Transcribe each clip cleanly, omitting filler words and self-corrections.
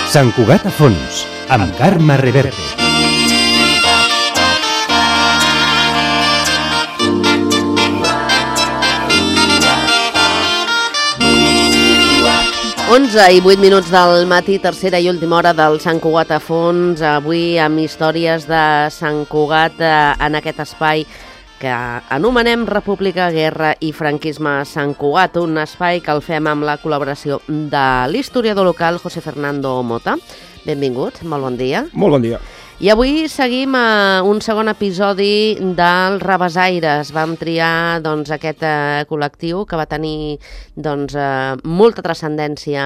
Sant Cugat a fons, amb Carme Reverte. Onze i 8 minuts del matí, tercera i última hora del Sant Cugat a fons, avui amb històries de Sant Cugat en aquest espai que anomenem República, Guerra i Franquisme Sant Cugat, un espai que el fem amb la col·laboració de l'historiador local José Fernando Mota. Benvingut, molt bon dia. Molt bon dia. I avui seguim un segon episodi dels Rabassaires. Vam triar aquest col·lectiu que va tenir molta transcendència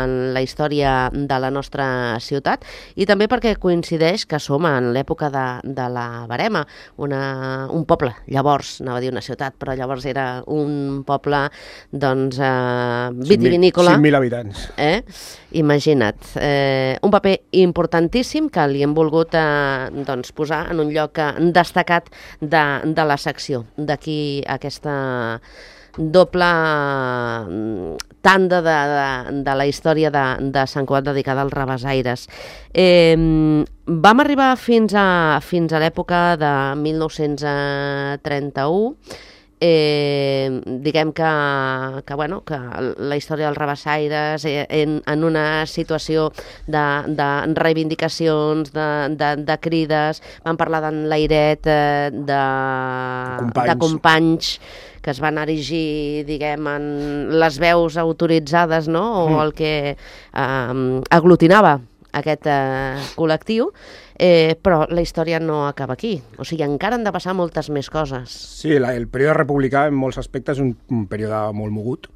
en la història de la nostra ciutat i també perquè coincideix que som en l'època de la Verema, un poble, llavors, anava a dir una ciutat, però llavors era un poble vitivinícola. 5.000 habitants. Imagina't. Un paper importantíssim que li hem volgut posar en un lloc destacat de la secció. D'aquí aquesta doble tanda de la història de Sant Cugat dedicada als Rabassaires. Vam arribar fins a l'època de 1931. Diguem que la història dels Rabassaires en una situació de reivindicacions, de crides, vam parlar d'enlairet, de companys que es van erigir, diguem, en les veus autoritzades, no? O el que aglutinava aquest col·lectiu, però la història no acaba aquí. O sigui, encara han de passar moltes més coses. Sí, el període republicà en molts aspectes és un període molt mogut,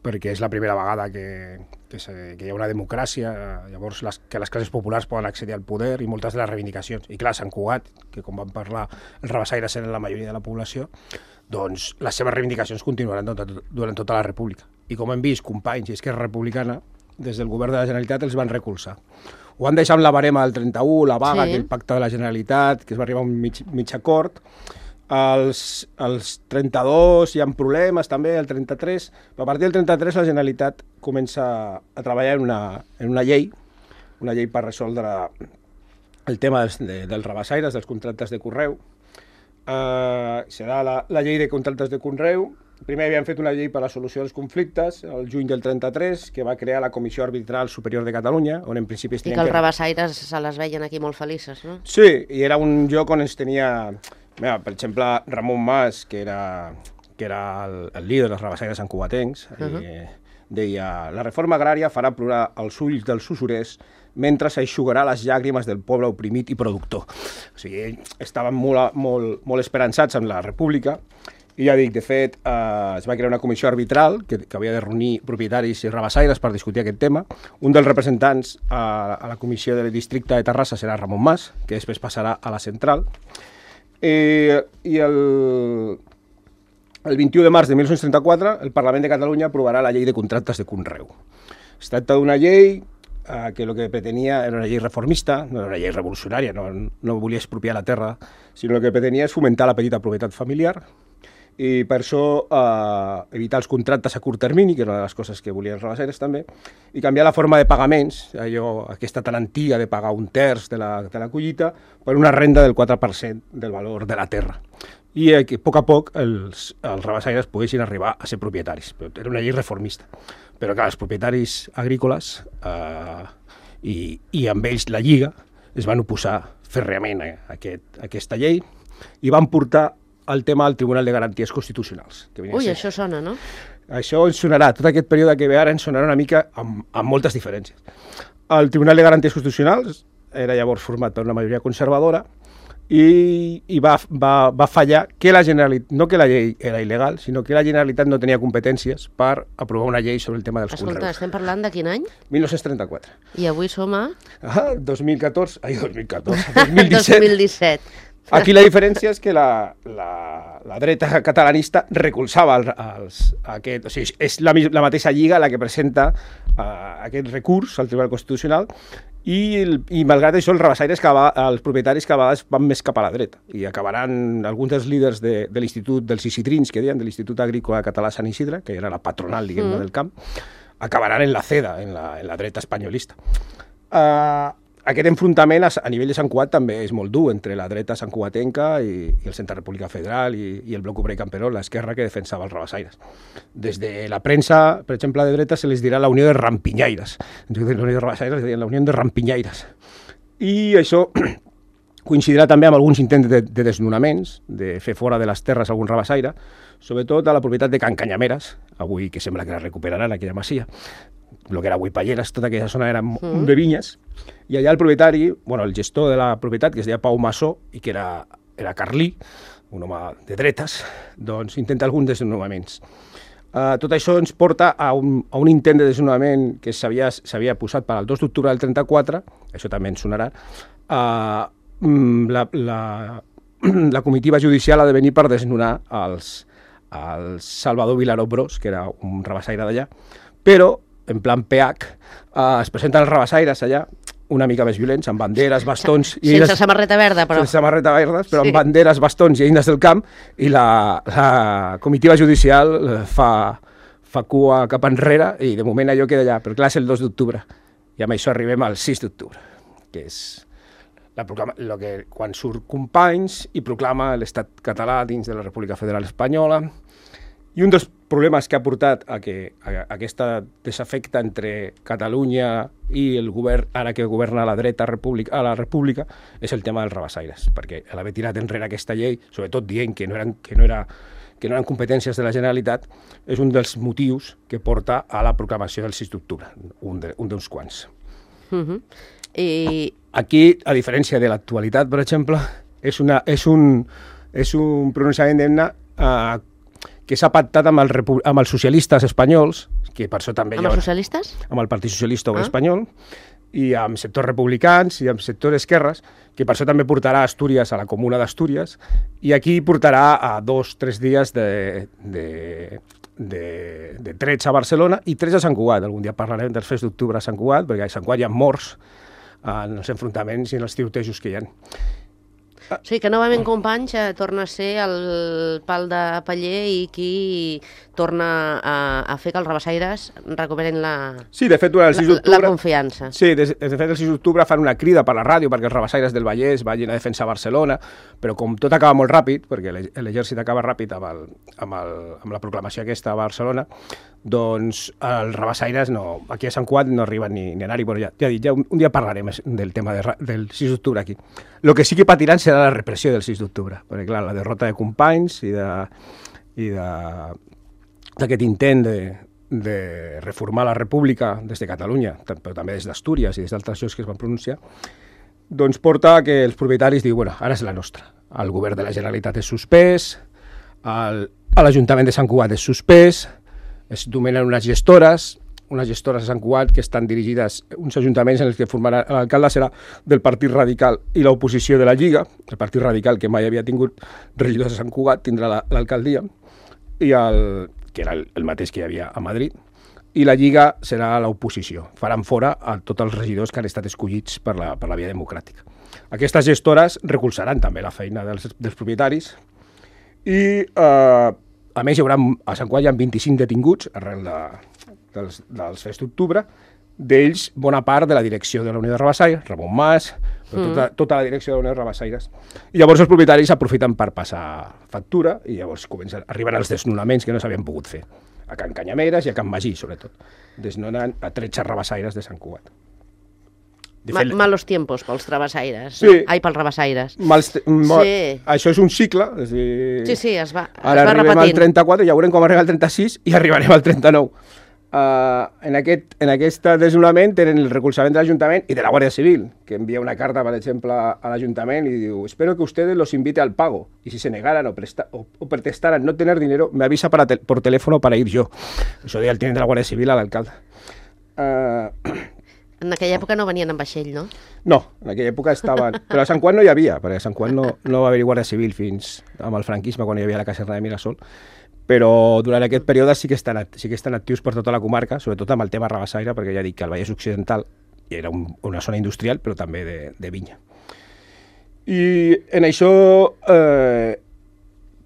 perquè és la primera vegada que hi ha una democràcia, llavors que les classes populars poden accedir al poder i moltes de les reivindicacions. I clar, Sant Cugat, que com vam parlar, els Rabassaires eren la majoria de la població, doncs les seves reivindicacions continuaran durant tota la república. I com hem vist, companys i Esquerra Republicana, des del govern de la Generalitat els van recolzar. Ho van deixar amb la barema del 31, la vaga, sí, el pacte de la Generalitat, que es va arribar a un mig acord. Els 32 hi ha problemes també, el 33, però a partir del 33 la Generalitat comença a treballar en una llei per resoldre el tema dels Rabassaires, dels contractes de conreu. Serà la llei de contractes de conreu. Primer havien fet una llei per a la solució dels conflictes, el juny del 33, que va crear la Comissió Arbitral Superior de Catalunya, on en principi es tenien... I que els Rabassaires se les veien aquí molt felices, no? Sí, i era un lloc on es tenia... Mira, per exemple, Ramon Mas, que era el líder dels Rabassaires santcugatencs, deia: la reforma agrària farà plorar els ulls dels usurers mentre s'eixugarà les llàgrimes del poble oprimit i productor. O sigui, estaven molt esperançats en la república. I ja dic, de fet, es va crear una comissió arbitral que havia de reunir propietaris i rabassaires per discutir aquest tema. Un dels representants a la comissió del districte de Terrassa serà Ramon Mas, que després passarà a la central. I el 21 de març de 1934 el Parlament de Catalunya aprovarà la llei de contractes de conreu. Es tracta d'una llei que el que pretenia era una llei reformista, no era una llei revolucionària, no volia expropiar la terra, sinó que pretenia és fomentar la petita propietat familiar, i per això evitar els contractes a curt termini, que era una de les coses que volien els rabassaires també, i canviar la forma de pagaments, aquesta tan antiga de pagar un terç de la collita, per una renda del 4% del valor de la terra. I que a poc els rabassaires poguessin arribar a ser propietaris. Era una llei reformista. Però clar, els propietaris agrícoles i amb ells la Lliga es van oposar fèrreament a aquesta llei i van portar el tema al Tribunal de Garanties Constitucionals. Això sona, no? Això ens sonarà, tot aquest període que ve ara ens sonarà una mica amb moltes diferències. El Tribunal de Garanties Constitucionals era llavors format per una majoria conservadora i va fallar que la Generalitat, no que la llei era il·legal, sinó que la Generalitat no tenia competències per aprovar una llei sobre el tema dels conreus. Escolta, estem parlant de quin any? 1934. I avui som a? 2017. 2017. Aquí la diferència és que la dreta catalanista recolzava aquest... O sigui, és la mateixa Lliga la que presenta aquest recurs al Tribunal Constitucional i malgrat això els rabassaires, els propietaris cada vegada van més cap a la dreta i acabaran alguns dels líders de l'Institut dels Isitrins, que deien, de l'Institut Agrícola Català Sant Isidre, que era la patronal, diguem-ne, del camp, acabaran en la CEDA, en la dreta espanyolista. Aquest enfrontament a nivell de Sant Cugat també és molt dur entre la dreta santcugatenca i el Centre República Federal i el Bloc Obrer Camperol, l'esquerra que defensava els rabassaires. Des de la premsa, per exemple, de dreta se les dirà la Unió de Rampinyaires. En lloc de la Unió de Rabassaires, es deien la Unió de Rampinyaires. I això coincidirà també amb alguns intents de desnonaments, de fer fora de les terres algun rabassaire, sobretot a la propietat de Can Canyameres, avui que sembla que la recuperaran aquella masia, el que era avui Palleres, tota aquella zona era de vinyes, i allà el propietari, el gestor de la propietat, que es deia Pau Massó, i que era carlí, un home de dretes, doncs intenta alguns desnonaments. Tot això ens porta a un intent de desnonament que s'havia posat per al 2 d'octubre del 34, això també ens sonarà, la comitiva judicial ha de venir per desnonar el Salvador Vilaró Bros, que era un rabassaire d'allà, però en plan PH, es presenten els rabassaires allà, una mica més violents, amb banderes, bastons... Sense samarreta verda, però... Sense samarreta verdes, però sí, amb banderes, bastons i eines del camp, i la comitiva judicial fa cua cap enrere, i de moment allò queda allà, però clar, és el 2 d'octubre, i amb això arribem al 6 d'octubre, que és quan surt Companys i proclama l'estat català dins de la República Federal Espanyola. I un dels problemes que ha portat a aquesta desafecta entre Catalunya i el govern, ara que governa la dreta a la República, és el tema dels rabassaires, perquè a l'haver tirat enrere aquesta llei, sobretot dient que no eren competències de la Generalitat, és un dels motius que porta a la proclamació del 6 d'octubre, un d'uns quants. Aquí, a diferència de l'actualitat, per exemple, és un pronunciament d'himne que s'ha pactat amb els socialistes espanyols, que per això també... Amb els socialistes? Amb el Partit Socialista Obrer Espanyol, i amb sectors republicans i amb sectors esquerres, que per això també portarà Astúries a la Comuna d'Astúries, i aquí portarà a 2 o 3 dies de trets a Barcelona i trets a Sant Cugat. Algun dia parlarem dels fets d'octubre a Sant Cugat, perquè a Sant Cugat hi ha morts en els enfrontaments i en els tirotejos que hi ha. O sigui que novament Companys torna a ser el pal de paller i qui torna a fer que els rabassaires recuperin sí, de fet, durant el 6 d'octubre, la confiança. Sí, de fet, el 6 d'octubre fan una crida per la ràdio perquè els rabassaires del Vallès vagin a defensar Barcelona, però com tot acaba molt ràpid, perquè l'exèrcit acaba ràpid amb la proclamació aquesta a Barcelona, doncs els rabassaires aquí a Sant Cugat no arriben ni a anar-hi. Bueno, ja un dia parlarem del tema del 6 d'octubre aquí. El que sí que patiran serà la repressió del 6 d'octubre, perquè clar, la derrota de Companys i d'aquest intent de reformar la República des de Catalunya, però també des d'Astúries i des d'altres llocs que es van pronunciar, doncs porta que els propietaris diuen, bueno, ara és la nostra. El govern de la Generalitat és suspès, l'Ajuntament de Sant Cugat és suspès, es dominen unes gestores a Sant Cugat que estan dirigides, uns ajuntaments en els que formarà l'alcalde serà del Partit Radical i l'oposició de la Lliga, el Partit Radical que mai havia tingut regidors a Sant Cugat tindrà l'alcaldia, i que era el mateix que hi havia a Madrid, i la Lliga serà l'oposició. Faran fora a tots els regidors que han estat escollits per la via democràtica. Aquestes gestores recolzaran també la feina dels propietaris i, a més, a Sant Cugat hi ha 25 detinguts arrel dels fets d'octubre, d'ells bona part de la direcció de la Unió de Rabassaires, Ramon Mas, tota la direcció de la Unió de Rabassaires. I llavors els propietaris aprofiten per passar factura i llavors arriben els desnonaments que no s'havien pogut fer. A Can Canyameres i a Can Magí, sobretot. Desnonen a 13 rabassaires de Sant Cugat. Malos tiempos pels rabassaires. Sí. Ai, pels rabassaires. Sí. Això és un cicle. És dir, sí, es va ara arribem al 34, ja veurem com arribem al 36 i arribarem al 39. En aquest desnonament tenen el recolzament de l'Ajuntament i de la Guàrdia Civil, que envia una carta, per exemple, a l'Ajuntament y diu: espero que ustedes los invite al pago y si se negaran o protestaran no tener dinero, me avisa por teléfono para ir yo. Això deia el tinent de la Guàrdia Civil a l'alcalde. En aquella època no venien en vaixell, no? No, en aquella època estaven... Però a Sant Cugat no hi havia, perquè a Sant Cugat no va haver-hi Guàrdia Civil fins amb el franquisme, quan hi havia la caserna de Mirasol. Però durant aquest període sí que estan actius per tota la comarca, sobretot amb el tema rabassaire, perquè ja dic que el Vallès Occidental era una zona industrial, però també de vinya. I en això,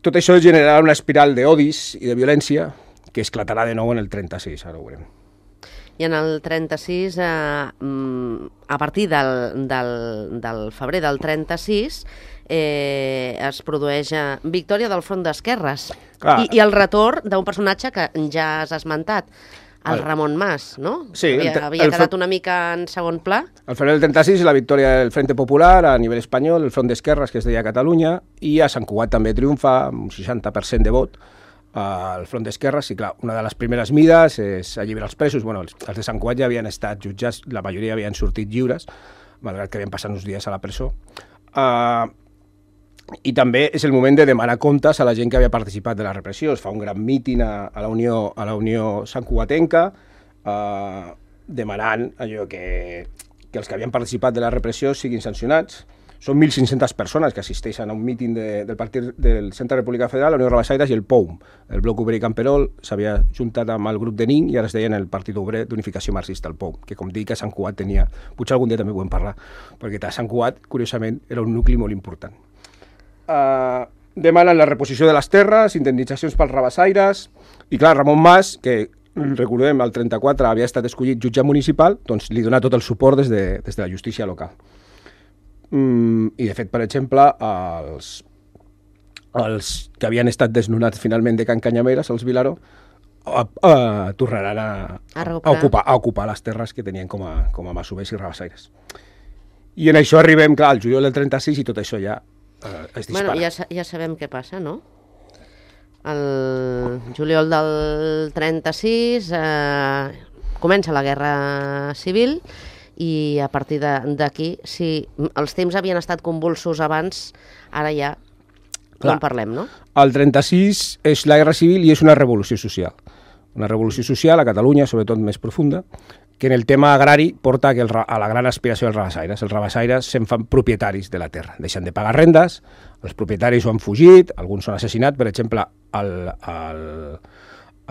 tot això generarà una espiral d'odis i de violència que esclatarà de nou en el 36, ara ho veurem. I en el 36, a partir del febrer del 36, es produeix victòria del Front d'Esquerres i el retorn d'un personatge que ja has esmentat, el Ramon Mas, no? Sí. Havia quedat una mica en segon pla. Al febrer del 36, la victòria del Frente Popular a nivell espanyol, el Front d'Esquerres, que es deia Catalunya, i a Sant Cugat també triomfa, amb un 60% de vot, al Front d'Esquerres, i clar, una de les primeres mides és alliberar els presos. Bueno, els de Sant Cugat ja havien estat jutjats, la majoria havien sortit lliures, malgrat que havien passat uns dies a la presó. I també és el moment de demanar comptes a la gent que havia participat de la repressió. Es fa un gran míting a la Unió Santcugatenca, demanant allò que els que havien participat de la repressió siguin sancionats. Són 1.500 persones que assisteixen a un míting del partit del Centre República Federal, la Unió Rabassaires i el POUM. El Bloc Obrer i Camperol s'havia juntat amb el grup de NIN i ara es deien el Partit Obrer d'Unificació Marxista, el POUM, que com dic a Sant Cugat tenia... Potser algun dia també ho hem parlat, perquè a Sant Cugat, curiosament, era un nucli molt important. Demanen la reposició de les terres, indemnitzacions pels rabassaires, i clar, Ramon Mas, que recordem, el 34 havia estat escollit jutge municipal, doncs li dona tot el suport des de la justícia local. I de fet, per exemple, els que havien estat desnonats finalment de Can Canyameres, els Vilaró, tornaran a ocupar les terres que tenien com a masovers i rabassaires. I en això arribem, clar, al juliol del 36 i tot això ja es dispara. Bueno, ja sabem què passa, no? El juliol del 36 comença la Guerra Civil i a partir d'aquí, si els temps havien estat convulsos abans, ara ja no en parlem, no? El 36 és la Guerra Civil i és una revolució social. Una revolució social a Catalunya, sobretot més profunda, que en el tema agrari porta a la gran aspiració dels rabassaires. Els rabassaires se'n fan propietaris de la terra, deixen de pagar rendes, els propietaris ho han fugit, alguns són assassinats, per exemple,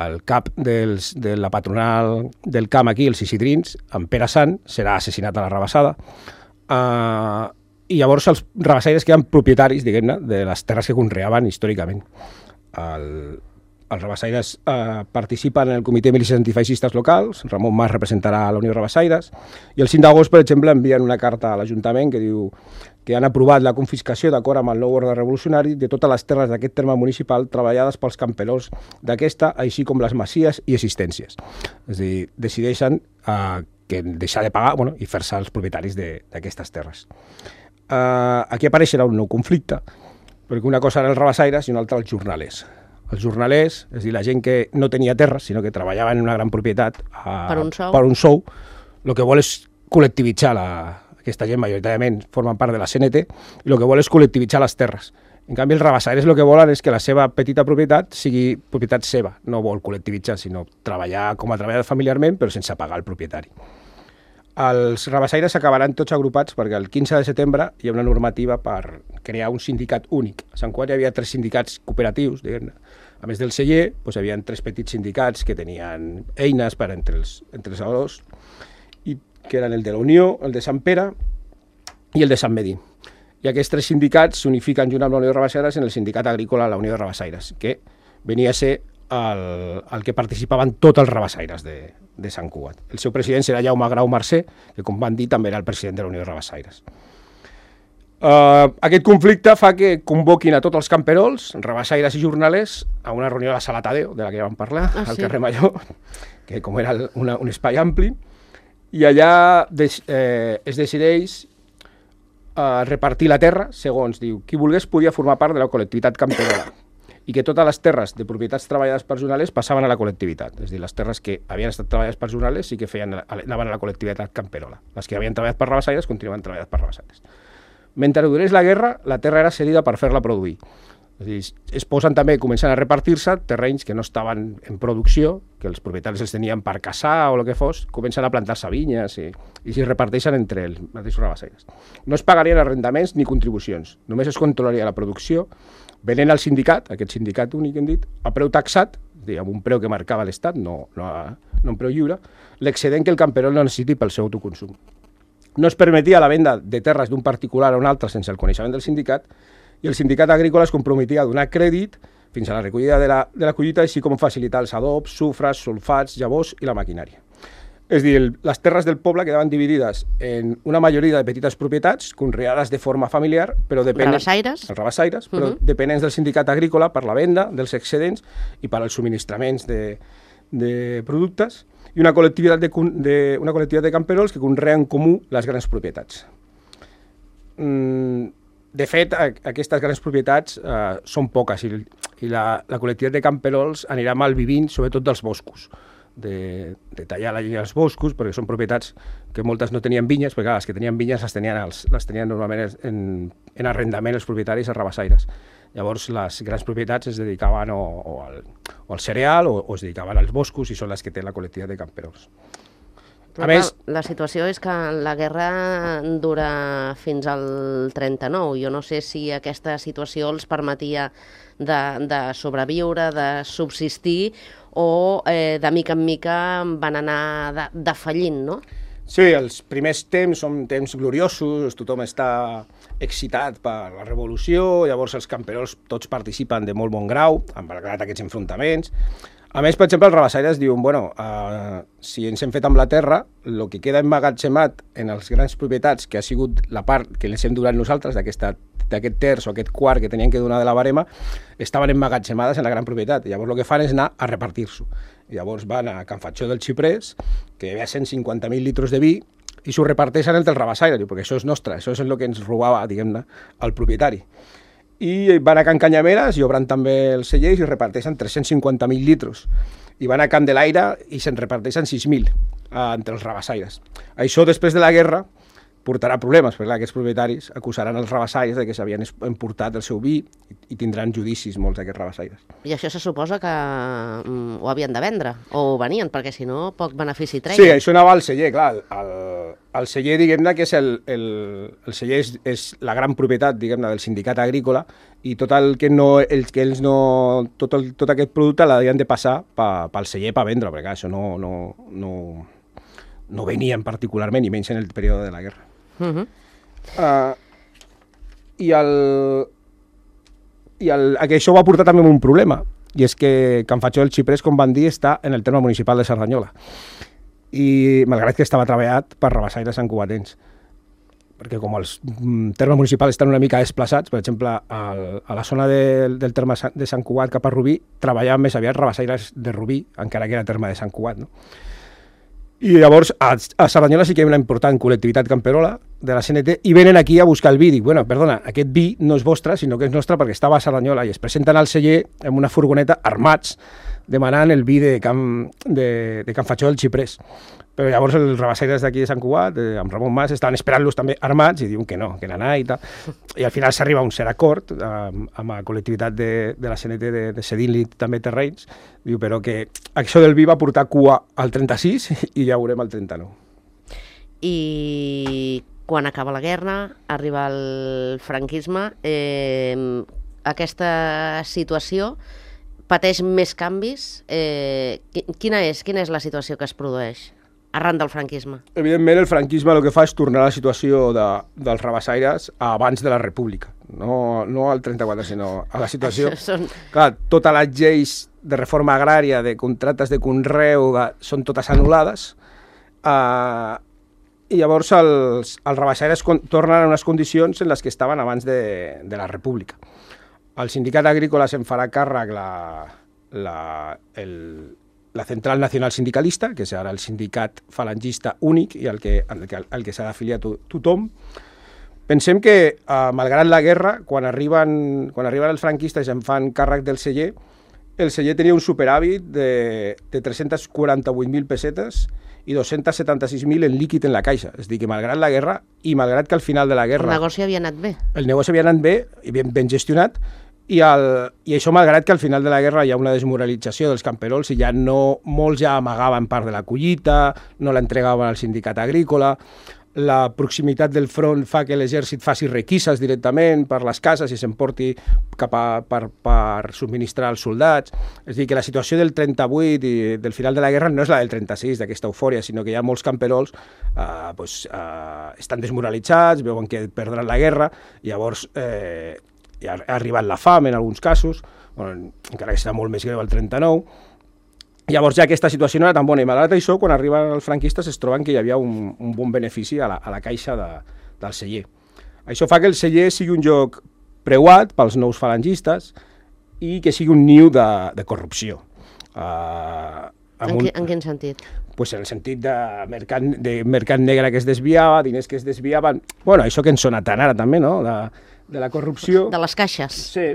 el cap de la patronal del camp aquí, els Isidrins, en Pere Sant, serà assassinat a la rabassada, i llavors els rabassaires queden propietaris, diguem-ne, de les terres que conreaven històricament. Els rabassaires participen en el Comitè de Milícies Antifeixistes locals, Ramon Mas representarà a la Unió Rabassaires, i el 5 d'agost, per exemple, envien una carta a l'Ajuntament que diu que han aprovat la confiscació, d'acord amb el nou ordre revolucionari, de totes les terres d'aquest terme municipal treballades pels camperols d'aquesta, així com les masies i existències. És a dir, decideixen deixar de pagar i fer-se els propietaris d'aquestes terres. Aquí apareixerà un nou conflicte, perquè una cosa eren els rabassaires i una altra els jornalers. Els jornalers, és a dir, la gent que no tenia terres, sinó que treballava en una gran propietat per un sou, el que vol és col·lectivitzar aquesta gent, majoritàriament formen part de la CNT, i el que vol és col·lectivitzar les terres. En canvi, els rabassaires el que volen és que la seva petita propietat sigui propietat seva, no vol col·lectivitzar, sinó treballar com a treballar familiarment, però sense pagar el propietari. Els rabassaires acabaran tots agrupats perquè el 15 de setembre hi ha una normativa per crear un sindicat únic. A Sant Cugat hi havia 3 sindicats cooperatius, diguem-ne. A més del celler, hi havia 3 petits sindicats que tenien eines per entre els treballadors, que eren el de la Unió, el de Sant Pere i el de Sant Medí. I aquests 3 sindicats s'unifiquen junt amb la Unió de Rabassaires en el sindicat agrícola la Unió de Rabassaires, que venia a ser el que participaven tots els rabassaires de Sant Cugat. El seu president serà Jaume Grau Mercè, que com van dir també era el president de la Unió de Rabassaires. Aquest conflicte fa que convoquin a tots els camperols, rabassaires i jornalers, a una reunió a la Sala Tadeo, de la que ja vam parlar, al carrer Major, que com era un espai ampli, i allà es decideix repartir la terra, segons diu, qui volgués podia formar part de la col·lectivitat camperola, i que totes les terres de propietats treballades per jornalers passaven a la col·lectivitat. És a dir, les terres que havien estat treballades per jornalers sí que anaven a la col·lectivitat camperola. Les que havien treballat per rabassaires continuaven treballades per rabassaires. Mentre durés la guerra, la terra era cedida per fer-la produir. És a dir, es posen també, comencen a repartir-se terrenys que no estaven en producció, que els propietaris els tenien per caçar o el que fos, comencen a plantar-se vinyes i s'hi reparteixen entre els mateixos rabassaires. No es pagarien arrendaments ni contribucions, només es controlaria la producció, venent al sindicat, aquest sindicat únic que hem dit, a preu taxat, amb un preu que marcava l'Estat, no un preu lliure, l'excedent que el camperol no necessiti pel seu autoconsum. No es permetia la venda de terres d'un particular a un altre sense el coneixement del sindicat, i el sindicat agrícola es comprometia a donar crèdit fins a la recollida de la collita, així com facilitar els adobs, sufres, sulfats, llavors i la maquinària. És a dir, les terres del poble quedaven dividides en una majoria de petites propietats, conreades de forma familiar, però dependents... Rabassaires, però dependents del sindicat agrícola per la venda dels excedents i per als subministraments de productes, i una col·lectivitat de camperols que conreen en comú les grans propietats. De fet, aquestes grans propietats són poques i la col·lectivitat de camperols anirà malvivint, sobretot dels boscos, de tallar la llenya dels boscos, perquè són propietats que moltes no tenien vinyes, perquè les que tenien vinyes les tenien normalment en arrendament els propietaris a rabassaires. Llavors, les grans propietats es dedicaven o al cereal o es dedicaven als boscos i són les que té la col·lectivitat de camperols. A més, la situació és que la guerra dura fins al 39. Jo no sé si aquesta situació els permetia de sobreviure, de subsistir, o de mica en mica van anar defallint, no? Sí, els primers temps són temps gloriosos, tothom està excitat per la revolució, llavors els camperols tots participen de molt bon grau, malgrat aquests enfrontaments. A més, per exemple, els rabassaires diuen, bueno, si ens hem fet amb la terra, el que queda emmagatzemat en les grans propietats, que ha sigut la part que les hem donat nosaltres, d'aquest terç o aquest quart que tenien que donar de la barema, estaven emmagatzemades en la gran propietat. Llavors el que fan és anar a repartir-s'ho. Llavors van a Can Fatxó del Xiprés, que hi havia 150.000 litres de vi, i s'ho reparteixen entre els rabassaires, perquè això és nostre, això és el que ens robava, diguem-ne, el propietari. I van a Can Canyameres i obren també els cellers i reparteixen 350.000 litres. I van a Can de l'Aire i se'n reparteixen 6.000 entre els rabassaires. Això, després de la guerra, portarà problemes, perquè aquests propietaris acusaran els rabassaires de que s'havien emportat el seu vi i tindran judicis molts d'aquests rabassaires. I això se suposa que ho havien de vendre, o ho venien, perquè si no, poc benefici treien. Sí, això anava al celler, clar. El celler, diguem-ne, que és el celler és la gran propietat, diguem-ne, del sindicat agrícola, i tot aquest producte l'havien de passar pel celler per vendre, perquè clar, això no venien particularment, i menys en el període de la guerra. Això va portar també un problema, i és que Can Fatxó del Xiprés, com van dir, està en el terme municipal de Cerdanyola, i malgrat que estava treballat per rabassaires santcugatens, perquè com els termes municipals estan una mica desplaçats, per exemple, a la zona del terme de Sant Cugat cap a Rubí, treballaven més aviat rabassaires de Rubí, encara que era terme de Sant Cugat, no? I llavors a Cerdanyola sí que hi ha una important col·lectivitat camperola de la CNT i venen aquí a buscar el vi. Dic, bueno, perdona, aquest vi no és vostre, sinó que és nostre perquè estava a Cerdanyola, i es presenten al celler amb una furgoneta armats demanant el vi de Can Fatxó del Xiprés. Però llavors els rabassaires d'aquí de Sant Cugat, amb Ramon Mas, estaven esperant-los també armats i diuen que no, que n'anà i tal. I al final s'arriba a un cert acord amb la col·lectivitat de la CNT de cedint-li també terrenys, diu, però que això del vi va portar cua al 36 i ja ho veurem al 39. I quan acaba la guerra, arriba el franquisme, aquesta situació pateix més canvis. Quina és la situació que es produeix arran del franquisme? Evidentment, el franquisme el que fa és tornar a la situació dels rabassaires abans de la República, no al 34, sinó a la situació... Clar, totes les lleis de reforma agrària, de contractes de conreu, són totes anul·lades, i llavors els rabassaires tornen a unes condicions en les que estaven abans de la República. El sindicat agrícola se'n farà càrrec la Central Nacional Sindicalista, que és ara el sindicat falangista únic i al que s'ha d'afiliar tothom. Pensem que, malgrat la guerra, quan arriben els franquistes i en fan càrrec del celler, el celler tenia un superàvit de 348.000 pessetes i 276.000 en líquid en la caixa. És a dir, que malgrat la guerra i malgrat que al final de la guerra... El negoci havia anat bé. El negoci havia anat bé i ben gestionat, i això malgrat que al final de la guerra hi ha una desmoralització dels camperols i ja molts ja amagaven part de la collita, no l'entregaven al sindicat agrícola, la proximitat del front fa que l'exèrcit faci requises directament per les cases i s'emporti per subministrar als soldats. És a dir, que la situació del 38 i del final de la guerra no és la del 36, d'aquesta eufòria, sinó que hi ha molts camperols estan desmoralitzats, veuen que perdran la guerra, i llavors ha arribat la fam en alguns casos, encara que serà molt més greu el 39, Llavors ja aquesta situació no era tan bona, i malgrat això, quan arriben els franquistes es troben que hi havia un bon benefici a la caixa del celler. Això fa que el celler sigui un lloc preuat pels nous falangistes i que sigui un niu de corrupció. En quin sentit? Pues en el sentit de mercat negre que es desviava, diners que es desviaven... Bueno, això que ens sona tant ara també, no?, de la corrupció. De les caixes. Sí.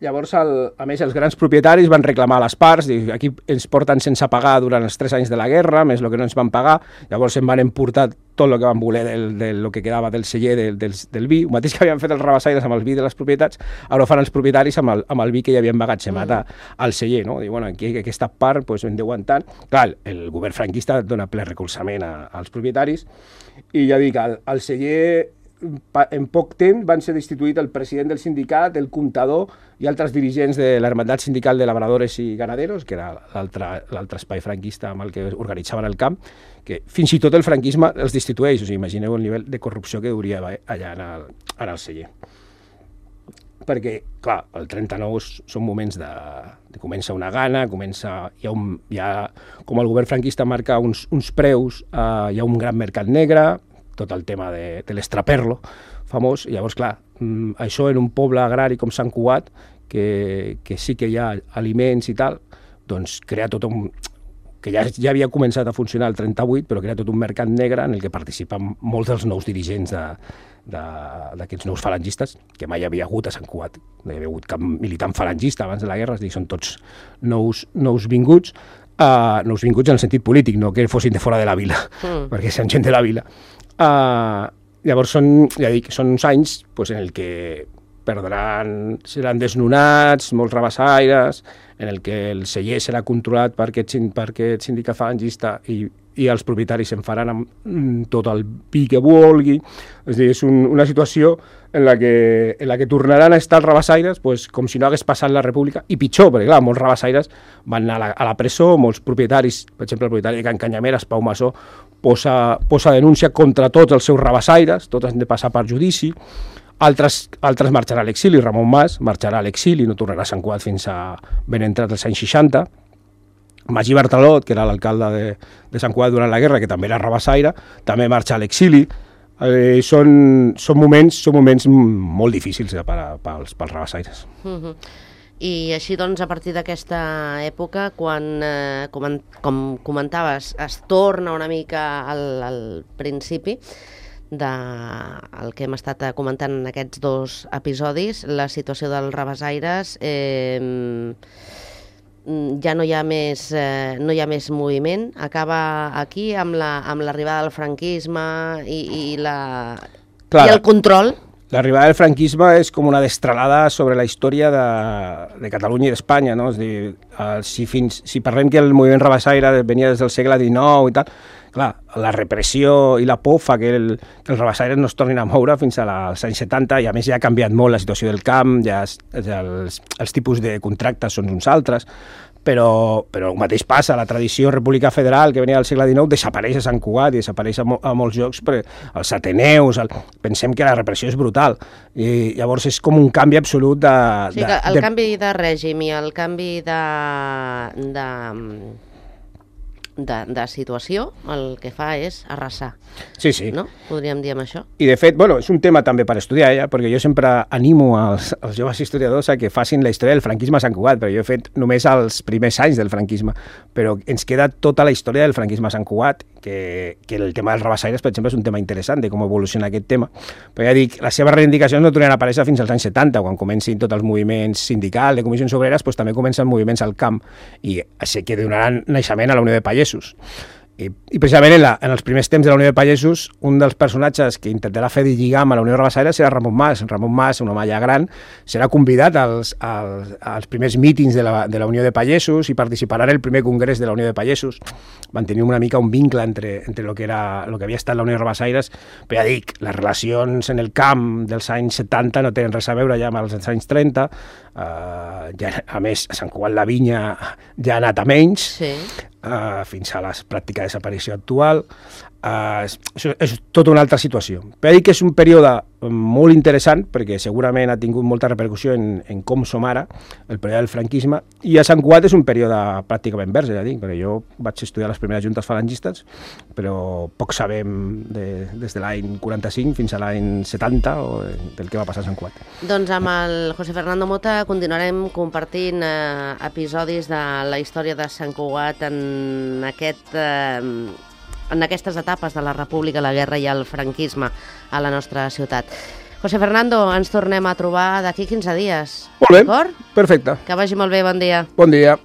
Llavors, a més, els grans propietaris van reclamar a les parts, dir, aquí ens porten sense pagar durant els 3 anys de la guerra, més el que no ens van pagar, llavors em van emportar tot el que van voler del que quedava del celler del vi, el mateix que havien fet els rabassaires amb el vi de les propietats, ara ho fan els propietaris amb el vi que hi havien magatzemat al celler, no? Diu, bueno, aquí aquesta part pues, hem d'aguantar. Clar, el govern franquista dona ple recolzament als propietaris, i ja dic, al celler en poc temps van ser destituït el president del sindicat, el comptador i altres dirigents de l'Hermandat Sindical de Labradores i Ganaderos, que era l'altre espai franquista amb el que organitzaven el camp, que fins i tot el franquisme els destitueix. O sigui, imagineu el nivell de corrupció que hauria allà en el celler. Perquè, clar, el 39 són moments de comença una gana, com el govern franquista marca uns preus, hi ha un gran mercat negre, tot el tema de l'estraperlo famós, i llavors, clar, això en un poble agrari com Sant Cugat, que sí que hi ha aliments i tal, doncs crea tot un... que ja havia començat a funcionar el 38, però crea tot un mercat negre en el que participen molts dels nous dirigents d'aquests nous falangistes, que mai havia hagut a Sant Cugat. No hi havia hagut cap militant falangista abans de la guerra, és a dir, són tots nous vinguts, nous vinguts en el sentit polític, no que fossin de fora de la vila, perquè són gent de la vila. Llavors són uns anys en el que seran desnonats molts rabassaires, en el que el celler serà controlat per aquest sindicat falangista i els propietaris se'n faran amb tot el vi que vulgui. És a dir, és una situació en la que tornaran a estar els rabassaires com si no hagués passat la República, i pitjor, perquè clar, molts rabassaires van anar a la presó, molts propietaris, per exemple el propietari de Can Canyameres, Pau Massó, posa denúncia contra tots els seus rabassaires, tots han de passar per judici. Altres marxaran a l'exili, Ramon Mas marxarà a l'exili, no tornarà a Sant Cugat fins a ben entrat els anys 60. Magí Bartalot, que era l'alcalde de Sant Cugat durant la guerra, que també era rabassaire, també marxa a l'exili. Són moments molt difícils pels rabassaires. I així, doncs, a partir d'aquesta època, quan, com comentaves, es torna una mica al principi del que hem estat comentant en aquests 2 episodis, la situació dels rabassaires, ja no hi ha més moviment, acaba aquí amb l'arribada del franquisme i el control. L'arribada del franquisme és com una destralada sobre la història de Catalunya i d'Espanya, no? És a dir, si parlem que el moviment rabassaire venia des del segle XIX i tal, clar, la repressió i la por fa que els rabassaires no es tornin a moure fins als anys 70, i a més ja ha canviat molt la situació del camp, ja els tipus de contractes són uns altres, però el mateix passa, la tradició republicà federal que venia del segle XIX desapareix a Sant Cugat i desapareix a molts llocs, els Ateneus, pensem que la repressió és brutal, i llavors és com un canvi absolut de... O sigui que el canvi de règim i el canvi de situació, el que fa és arrasar. Sí. No? Podríem dir amb això. I de fet, és un tema també per estudiar, perquè jo sempre animo als joves historiadors a que facin la història del franquisme a Sant Cugat, perquè jo he fet només els primers anys del franquisme, però ens queda tota la història del franquisme a Sant Cugat, que el tema dels rabassaires, per exemple, és un tema interessant de com evoluciona aquest tema. Però ja dic, les seves reivindicacions no tornaran a aparèixer fins als anys 70, quan comencin tots els moviments sindicals, de comissions obreres, també comencen moviments al camp, i així que donaran naixement a la Unió de Pagesos. I precisament en els primers temps de la Unió de Pagesos, un dels personatges que intentarà fer de lligam a la Unió Rabassaire serà Ramon Mas. Ramon Mas, un home ja gran, serà convidat als primers mítings de la Unió de Pagesos i participarà en el primer congrés de la Unió de Pagesos. Van tenir una mica un vincle entre el que havia estat la Unió Rabassaires, però ja dic, les relacions en el camp dels anys 70 no tenen res a veure ja amb els anys 30, a més, a Sant Cugat la vinya ja ha anat a menys, fins a la pràctica desaparició actual. és tota una altra situació. Però dic que és un període molt interessant, perquè segurament ha tingut molta repercussió en com som ara, el període del franquisme, i a Sant Cugat és un període pràcticament verge, ja dic, perquè jo vaig estudiar les primeres juntes falangistes, però poc sabem des de l'any 45 fins a l'any 70 del que va passar a Sant Cugat. Doncs amb el José Fernando Mota continuarem compartint episodis de la història de Sant Cugat en aquestes etapes de la República, la guerra i el franquisme a la nostra ciutat. José Fernando, ens tornem a trobar d'aquí 15 dies. Molt bé, d'acord? Perfecte. Que vagi molt bé, bon dia. Bon dia.